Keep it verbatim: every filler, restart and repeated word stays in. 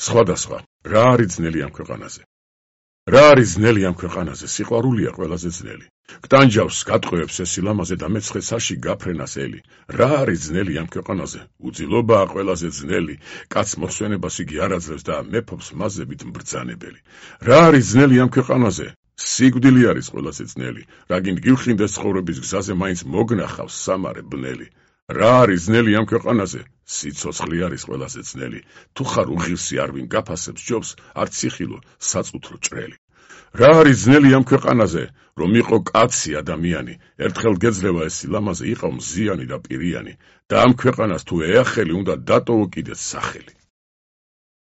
სხვადასხვა, რა არის ძნელი ამ ქვეყანაზე? რა არის ძნელი ამ ქვეყანაზე? სიყვარულია ყველაზე ძნელი. გტანჯავს, გატყვევებს ეს სილამაზე და მეცხრე საში გაფრენას ელი. რა არის ძნელი ამ ქვეყანაზე? უძილობაა ყველაზე ძნელი. კაც მოსვენებას იგი არ აძლევს და მეფობს მაზებით mbრძანებელი. რა არის ძნელი ამ ქვეყანაზე? სიკვდილი არის ყველაზე ძნელი. რაგინ გივხინდეს ცხოვრების გზაზე მაინც მოგნახავს სამარე ბნელი. რა არის ძნელი ამ ქვეყანაზე? სიცოცხლე არის ყველაზე ძნელი. თუ ხარ უღირსი არ ვინ გაფასებს ჯობს, არც იხილო საწუთრო ჭრელი. რა არის ძნელი ამ ქვეყანაზე? რომ იყო კაცი ადამიანი, ერთხელ გეძლევა ეს სილამაზე, იყავ მზიანი და პირიანი და ამ ქვეყანას თუ ეახელი უნდა დატოვო კიდეც სახელი.